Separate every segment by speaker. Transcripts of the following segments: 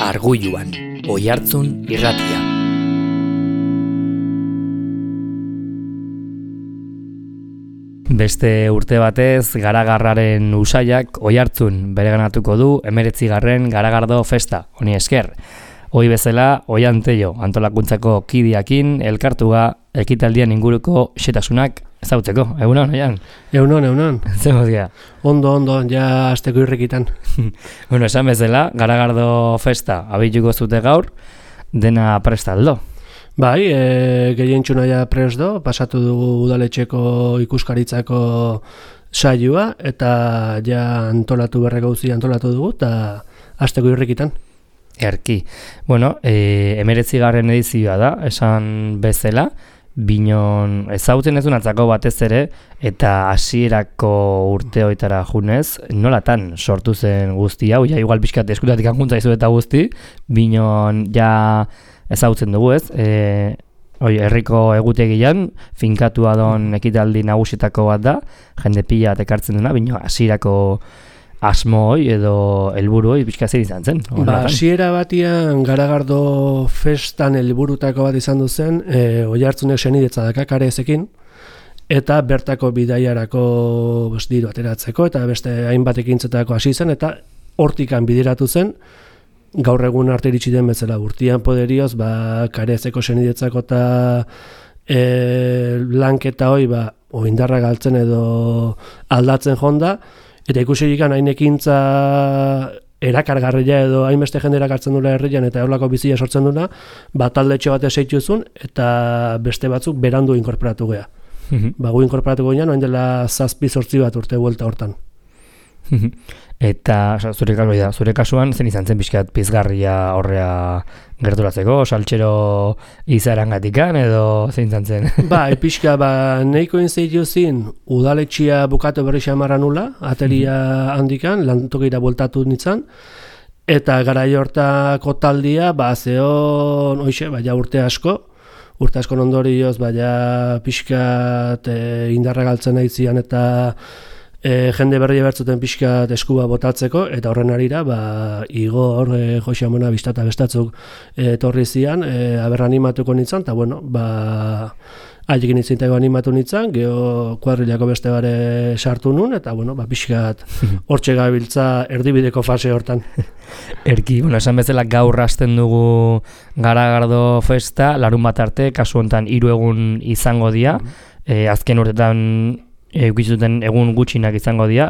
Speaker 1: Argulluan, Oihartzun irratia. Beste urte batez, Garagarraren usaiak Oihartzun bereganatuko du 19. Garagardo festa, honi esker. Hoi bezala, Oian Tello antolakuntzako kidiakin elkartuga ekitaldian inguruko xetasunak ezautzeko. Egunon, Oian?
Speaker 2: Egunon.
Speaker 1: Zemoz gea?
Speaker 2: Ondo, ja asteko irrikitan.
Speaker 1: Bueno, esan bezala, Garagardo festa abituko zute gaur, dena prestaldo.
Speaker 2: Bai, gehientxuna ja presdo, pasatu dugu udaletxeko ikuskaritzako saioa, eta ja antolatu antolatu dugu, eta asteko irrikitan.
Speaker 1: Erki. Bueno, 19. edizioa da, esan bezala, binon ezautzen ezun atzako batez ere, eta hasierako urteoitara junez, nolatan sortu zen guzti hau, ja igual pixkat eskutatik ankuntza izu eta guzti, binon ja ezautzen dugu ez, herriko egutegian, finkatua don ekitaldi nagusietako bat da, jende pila ekartzen duna, bino hasierako asmo hoi edo helburu hoi pixka zer izan zen.
Speaker 2: Hasiera batian Garagardo festan helburutako bat izan duzen, Oihartzunek senidetza daka Karezekin, eta bertako bidaiarako diru ateratzeko, eta beste hainbat ekintzetako hasi zen, eta hortikan bideratu zen, gaur egun arte iritsi den bezala urtean poderioz, Karezeko senidetzako eta lanketa hoi, oindarra galtzen edo aldatzen jonda, eta ikusikan hain ekintza erakargarria edo hainbeste jendera hartzen dula herrian eta horlako bizia sortzen duna, taldetxo bat eseituzun eta beste batzuk berandu inkorporatu gea. Gu inkorporatu gean, oin dela 7-8 bat urte buelta hortan.
Speaker 1: Eta zure kasuan zen izan zen pixkat pizgarria horrea gerturatzeko, saltxero izarangatikan edo zein izan zen?
Speaker 2: Pixka, nahiko inzeitu zin, udaletxia bukatu berri xamarra nula, atelia handikan, lantokira bueltatu nintzen, eta garai hortako taldia, zeon, urte asko ondorioz, pixkat indarra galtzen nahi zian eta jende berri bertzuten pixkat eskuba botatzeko, eta horren arira, Igor, Jose Amona, Bistata bestatzuk etorri zian, aber animatuko nintzen, eta bueno, haiekin nintzintako animatu nintzen, geho kuadrilako beste bare sartu nun, eta bueno, pixkat hortxe gabiltza erdibideko fase hortan.
Speaker 1: Erki, esan bezala gaur hasten dugu Garagardo festa, larun bat arte, kasu honetan 3 egun izango dira, azken urtetan eukizuten egun gutxinak izango dira,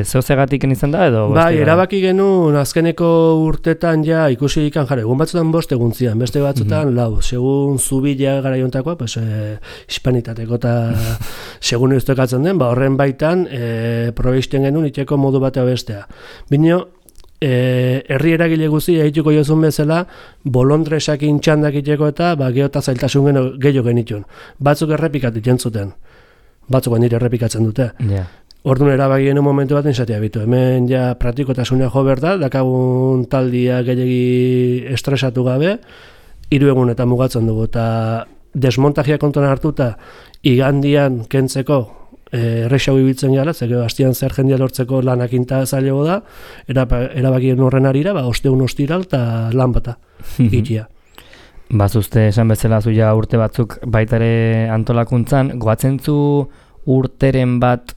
Speaker 1: zehozegatik izan da edo?
Speaker 2: Erabaki genuen azkeneko urtetan ja ikusi ikan jare, egun batzutan 5 egun zian, beste batzutan 4, segun zubila garaiontakoa, hispanitateko eta segun euztekatzen den, horren baitan probeisten genuen itxeko modu batea bestea. Bino, herri eragile guzti egituko jozun bezala, bolondresakin txandak itxeko eta geota zailtasun gehiago genitun. Batzuk errepikat ikentzuten. Batzuk nire errepikatzen dute. Orduan erabakien momentu bat izatea bitu. Hemen ja praktikotasuna jo behar da, dakagun taldia gehiagi estresatu gabe, 3 egunetan mugatzen dugu. Eta desmontajia kontuan hartuta, igandian kentzeko errexau ibiltzen gala, zego hastian zer jendia lortzeko lanakinta zailego da, erabakien horren arira, osteun ostiral eta lan bata ikia.
Speaker 1: Bazuzte esan bezala zuia urte batzuk baitare antolakuntzan, goatzen zu urteren bat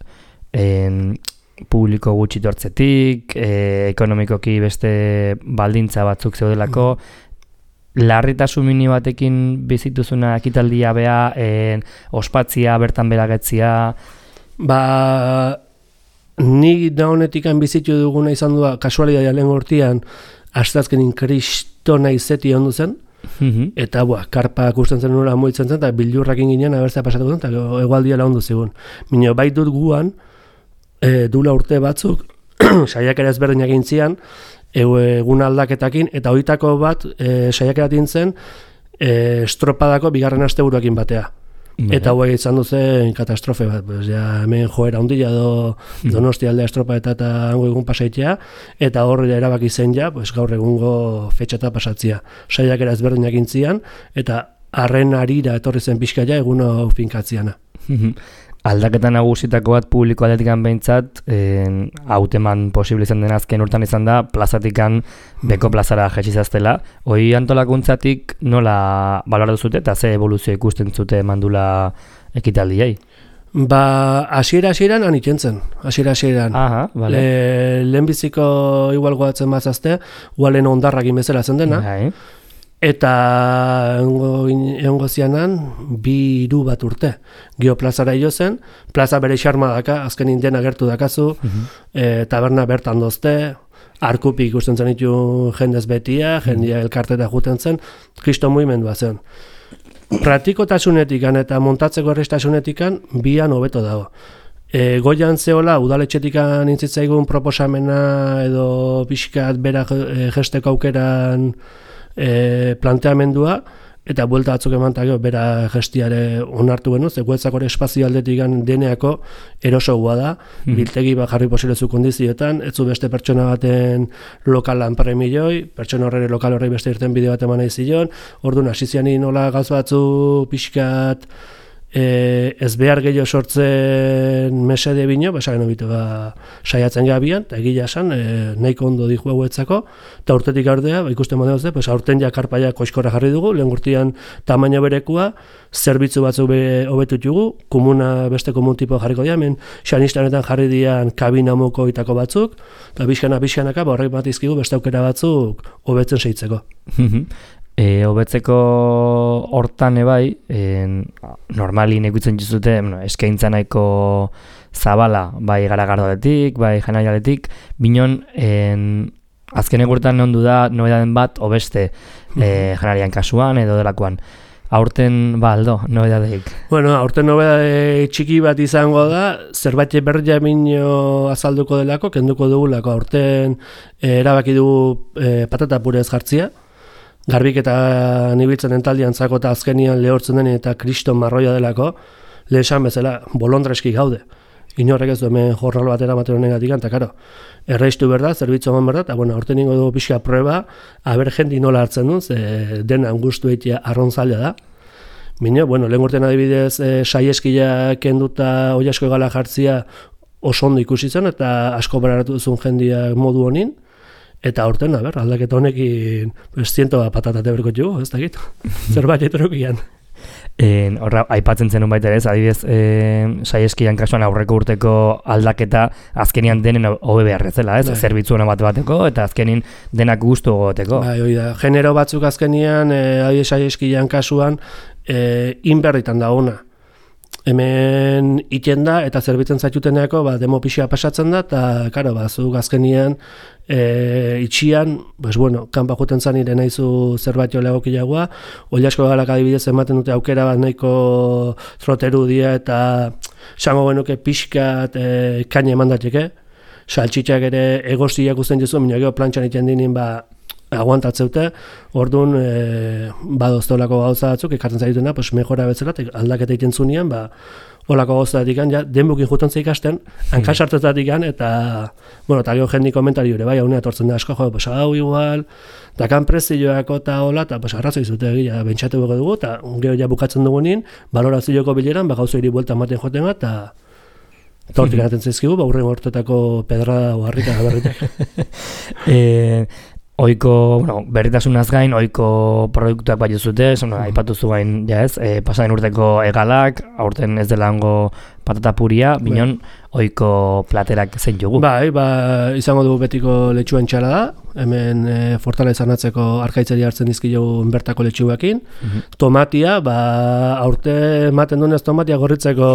Speaker 1: publiko gutxi tortzetik, ekonomikoki beste baldintza batzuk zeudelako, larritasun mini batekin bizituzuna ekitaldia bea, ospatzia, bertan beragetzia?
Speaker 2: Ni da honetikan bizitu duguna izan du kasualitatea lehen urtean, astazkenin kristona izeti ondu zen, eta karpak usten zen nora moitzen zen, eta bildurrakin ginen abertzea pasatuko zen, eta egualdia lagundu zigun. Minio, bai dut guan, dula urte batzuk, saiakera ezberdinak intzian, egun aldaketakin, eta hoitako bat saiakeratin zen estropadako 2. asteburuakin batea. Eta hoi izan duzen katastrofe bat, hemen joera ondila Donosti aldea estropa eta hango egun pasaitea, eta horre erabaki zen gaur egungo fetxata pasatzia. Saiakera ezberdinak intzian, eta arren arira etorri zen pixka egun hau finkatziana.
Speaker 1: aldaketa nagusitako bat publiko aldetikan behintzat, hauteman posible izan den azken urtan izan da, plazatikan beko plazara jetxizaztela. Hoi antolakuntzatik nola balora duzute eta ze evoluzio ikusten zute mandula ekitaldiai?
Speaker 2: Ba, hasieran han ikentzen, hasieran.
Speaker 1: Aha, vale.
Speaker 2: Lehenbiziko igual goatzen bazazte, igualen ondarrakin bezala zen dena.
Speaker 1: Bai.
Speaker 2: Eta egongo zianan, 2-3 bat urte. Geoplazara jo zen, plaza bere xarma daka, azken indena gertu dakazu, taberna bertan dozte, arkupik ikusten zen ditu jendez betia, jendia elkarteta juten zen, kristo mugimendua zen. Praktikotasunetikan eta montatzeko errestasunetikan bian hobeto dago. Goian zehola, udaletxetikan intzitzaigun proposamena edo pixkat bera gesteko aukeran planteamendua, eta buelta batzuk emantak bera gestiare onartu genuz, guetzako espazio aldetik deneako erosoa da, biltegi bat jarri posilezu kondizioetan, etzu beste pertsona baten lokalan premilioi, pertsona horre lokal horrei beste irten bideo bat eman nahi zion, orduan hasiziani nola gauza batzu pixkat ez behar gehiago sortzen mesede bino, esan obitu saiatzen gabian, eta egila esan, nahiko ondo dihu hauetzako, eta urtetik gaurdea, ikusten modeo ze, aurten ja karpaia koizkorra jarri dugu, lehen urtean tamaina berekua, zerbitzu batzuk hobetut jugu, komuna beste komun tipo jarriko dira, hemen xanistanetan jarri dian kabina moko itako batzuk, eta bizkanaka, horrek bat izkigu beste aukera batzuk hobetzen seitzeko.
Speaker 1: Hobetzeko hortan ebai, normalin ikutzen juzute, eskaintza nahiko zabala, bai Garagardoletik, bai Janarialetik, binon, azken egurtan ondu da nobedaden bat, obeste Janarian kasuan edo delakoan. Aurten, aldo, nobedadeik?
Speaker 2: Bueno, aurten nobedade txiki bat izango da, zerbait berria minio azalduko delako, kenduko dugulako, aurten erabaki dugu patata purez jartzia, garbik eta nibiltzen entaldian zako eta azkenian lehortzen den eta kriston marroia delako, lehesan bezala, bolondreski gaude. Inorrek ez du hemen jornal batera maten honegatik, eta karo, erreistu berda, zerbitzu eman berda, eta bueno, aurten ingo dugu pixka prueba, aber jendi nola hartzen duen, ze dena angustu egitea arrontzalea da. Bino, bueno, lehen urtean adibidez, saieskila kenduta oiasko egala jartzia oso ondo ikusi zen, eta asko beraratu duzun jendia modu honin, eta aurten, aldaketa honekin 100 patatate berko jugu, ez dakit, zerbait etrokian.
Speaker 1: Horra, aipatzen zenun baita ez, adibidez, saieskian kasuan aurreko urteko aldaketa azkenian denen hobe beharrezela, ez? Zerbitzu hona bateko, eta azkenin denak gustu goteko.
Speaker 2: Bai, hori da, genero batzuk azkenian, adibidez saieskian kasuan, inberritan da ona. Hemen iten da, eta zerbitzen zaituteneako, demo pixia pasatzen da, eta, karo, zuk azkenian, itxian, kanpa juten zan ire nahizu zerbait jo legokilagoa, Ollasko galak adibidez ematen dute aukera bat nahiko troteru dia, eta esango genuke pixkat kaina eman dateke, saltxitxak ere egostiak usten jezu, minagio plantxan iten dinin, aguantatzeute, orduan badoztolako gauza batzuk, ekartzen zaituna, mejora betzela, aldaketa egiten zunean, olako gauzatik ja, denbukin juten ikasten, hankasartetatik eta, eta gero jendi komentari hori, haunea tortzen da asko, hau igual, dakan prezioako eta hola, eta arrazoi zute egia, bentsatu bego dugu, eta gero ja bukatzen dugunin, balorazioko bileran, gauza hiri buelta ematen joten bat, eta hortik anaten zaizkigu, hurren hortetako pedra oharrika gaberritak.
Speaker 1: Oiko, berritasunaz gain, oiko produktuak bai zute, aipatu zuen, pasaden urteko egalak, aurten ez dela hango patata puria, binon, oiko platerak zein jugu.
Speaker 2: Izango dugu betiko letxuen txala da, hemen fortaleza natzeko arkaitzari hartzen dizkilu bertako letxuakin. Tomatia, aurte ematen dunez tomatia gorritzeko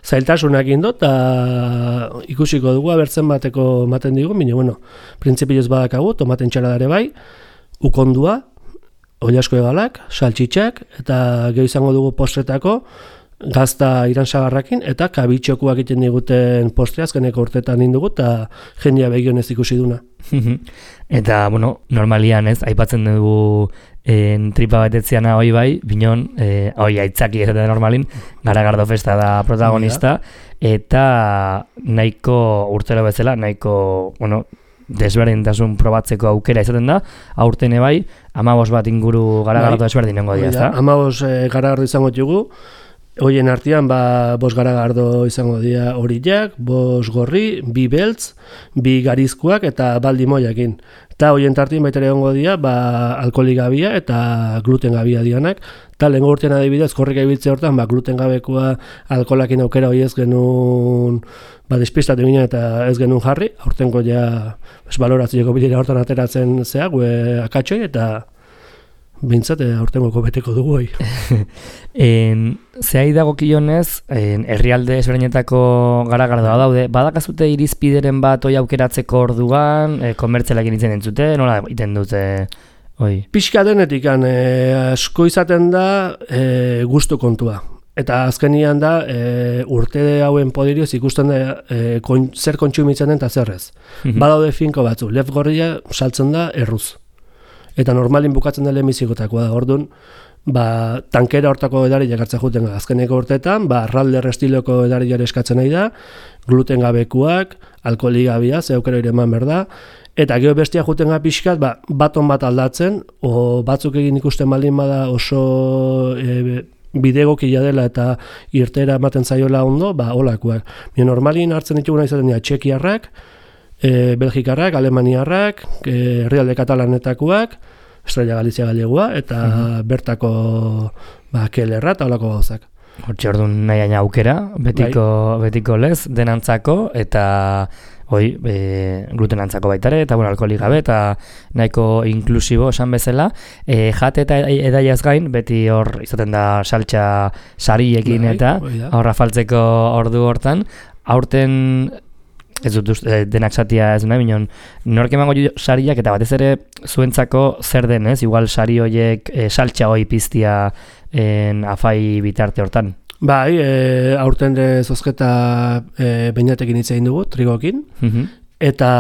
Speaker 2: zailtasunak indo, eta ikusiko dugu, abertzen bateko ematen digu, bine, printzipioz badakagu, tomaten txala dare bai, ukondua, Ollasko egalak, saltxitxak, eta geho izango dugu postretako, gazta iransagarrakin, eta kabitxokuak egiten diguten postre azkeneko urtetan indugu, eta jendia begionez ikusi duna.
Speaker 1: Eta, normalian ez, aipatzen dugu tripa betetziana hoi bai, binon, hoi aitzaki ez da normalin, Garagardo festa da protagonista, eta nahiko urtero bezala, nahiko, desberdintasun probatzeko aukera izaten da, aurten bai, 15 bat inguru Garagardo desberdin nengo dira, ezta?
Speaker 2: 15 Garagardo izango dugu, Hoien artean, 5 garagardo izango dira horiak, 5 gorri, 2 beltz, 2 garizkoak eta baldi moiakin. Eta hoien tartien baita ere egongo dira, alkoholik gabia eta gluten gabia dianak. Eta lehengo urtean adibidez, korrika ibiltze hortan, gluten gabekoa alkoholakin aukera hori ez genuen despistatu ginen eta ez genuen jarri. Aurtengo ja baloratzeko bilera hortan ateratzen zea, akatxoi eta bintzat aurtengoko beteko dugu hoi.
Speaker 1: Zehai dagokionez, herrialde ezberdinetako garagardoa daude, badakazute irizpideren bat hoi aukeratzeko orduan, komertzialak initzen entzute, nola iten dute hoi?
Speaker 2: Pixka denetik, asko izaten da gustu kontua. Eta azkenian da, urte hauen podirioz ikusten da zer kontsumitzen den eta zerrez. Badaude finko batzu, lef gorria saltzen da erruz. Eta normalin bukatzen dela emizikotakoa da, orduan, tankera hortako edariak hartzen juten azkeneko urteetan, ralder estiloko edariak eskatzen nahi da, gluten gabekuak, alkoholik gabia, ze aukera ere eman berda, eta gero bestia juten pixkat, baton bat aldatzen, o batzuk egin ikusten baldin bada oso bidegokia dela eta irtera ematen zaiola ondo, holakoak. Normalin hartzen dituguna izaten dira txekiarrak, belgikarrak, alemaniarrak, herrialde katalanetakoak, Estrella Galizia Galegua, eta bertako kelerra eta holako gauzak.
Speaker 1: Hortxe orduan nahi aina aukera, betiko lez, denantzako, eta glutenantzako baitare, eta alkoholik gabe, eta nahiko inklusibo esan bezala. Jate eta edaiaz gain, beti hor izaten da saltxa sariekin eta horra faltzeko ordu hortan. Aurten ez dut denak satia ez nahi, minon, nork emango sariak eta batez ere zuentzako zer denez, igual sari horiek saltxa hoi piztia afai bitarte hortan.
Speaker 2: Bai, aurten zozketa beinatekin hitz egin dugu, trigokin, eta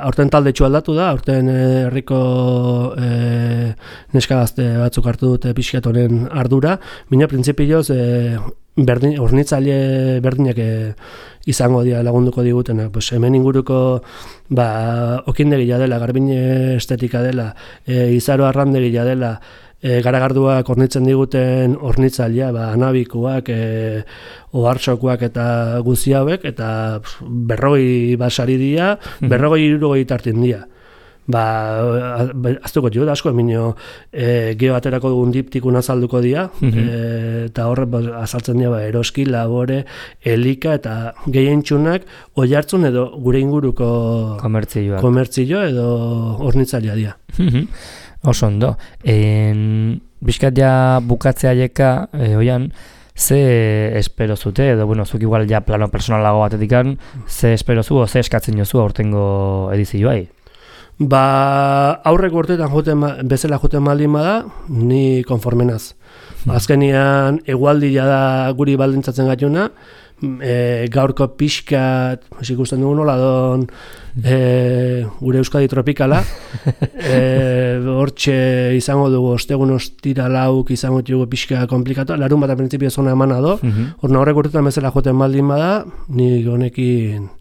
Speaker 2: aurten taldetxu aldatu da, aurten herriko neska gazte batzuk hartu dute pixkat honen ardura, mina printzipioz hornitzaile berdinak izango dira lagunduko digutenak. Hemen inguruko okindegia dela, garbine estetika dela, izaro arrandegia dela, garagarduak hornitzen diguten hornitzailea, anabikoak, ohartxokoak eta guzi hauek, eta 40 basari dira, 40-60 tartin dira. Aztuko jo da asko, eminio geho aterako dugun diptikun azalduko dira, eta horre azaltzen dira eroski, labore, elika eta gehientxunak oihartzun edo gure inguruko komertzio edo hornitzailea dira.
Speaker 1: Oso ondo. Bizkat ja bukatzea jeka, oian, ze espero zute, edo, zuk igual ja plano personalago batetikan, ze espero zu, ze eskatzen jozu aurtengo edizioai?
Speaker 2: Aurreko urteetan bezala joten baldin bada, ni konformenaz. Azkenian, egualdia da guri baldintzatzen gaituna, gaurko pixkat, ikusten dugu nola don, gure Euskadi tropikala, hortxe izango dugu, ostegun ostira lauk izango dugu pixka komplikatu, larun bat printzipio zona emana do, horrek urteetan bezala joten baldin bada, ni honekin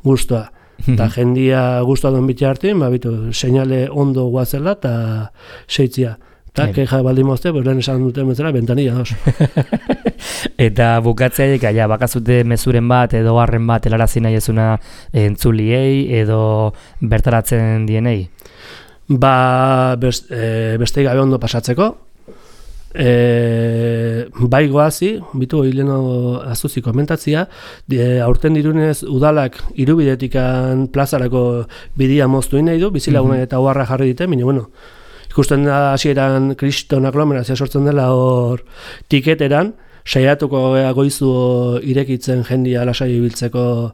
Speaker 2: guztua. Eta jendia guztua duen bitxe hartin, seinale ondo guazela eta seitzia. Eta keja baldin mozte, lehen esan duten bezala, bentanilla dos.
Speaker 1: Eta bukatzea ja, bakazute mezuren bat edo harren bat helarazi nahi ezuna entzuliei edo bertaratzen dienei?
Speaker 2: Beste gabe ondo pasatzeko. Bai goazi, bitu hileno azuzi komentatzia, aurten dirunez udalak irubidetikan plazarako bidia moztu nahi du, bizilagunak eta oharra jarri dite, ikusten da hasieran kriston aglomerazioa sortzen dela hor tiketeran, saiatuko goizu irekitzen jendia lasai ibiltzeko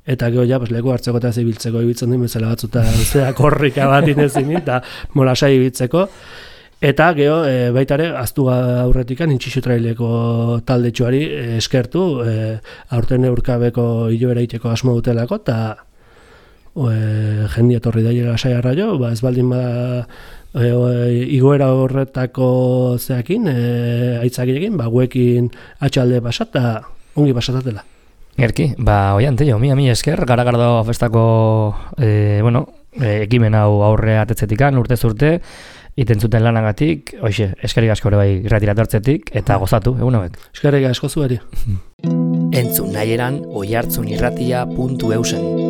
Speaker 2: eta gero ja leku hartzeko eta ibiltzeko ibiltzen duen bezala batzuta korrika bat inezin eta lasai ibiltzeko. Eta geho, baitare, aztu aurretikan intxixu traileko taldetxoari eskertu, aurten eurkabeko hiloera iteko asmo dutelako, eta jendia torri daiera saiarra jo, ez baldin igoera horretako zeakin, aitzakirekin, guekin atxalde pasat, eta ongi pasatatela.
Speaker 1: Erki, oian, teio, mi esker, garagardo festako, ekimen hau aurre atetzetikan, urtez urte, iten zuten lanagatik, hoxe, eskerrik asko ere bai irratira etortzetik, eta gozatu, egun hauek.
Speaker 2: Eskerrik asko zuari.
Speaker 1: Entzun nahieran oihartzunirratia.eusen.